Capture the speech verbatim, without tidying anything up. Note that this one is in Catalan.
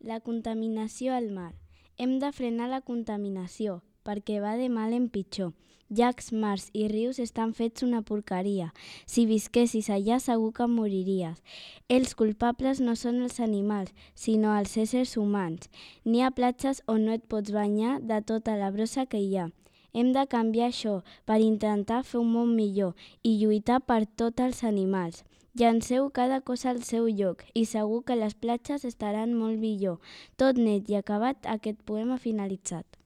La contaminació al mar. Hem de frenar la contaminació, perquè va de mal en pitjor. Llacs, mars i rius estan fets una porqueria. Si visquessis allà segur que moriries. Els culpables no són els animals, sinó els éssers humans. N'hi ha platges on no et pots banyar de tota la brossa que hi ha. Hem de canviar això per intentar fer un món millor i lluitar per tots els animals. Llanceu cada cosa al seu lloc i segur que les platges estaran molt millor. Tot net i acabat, aquest poema finalitzat.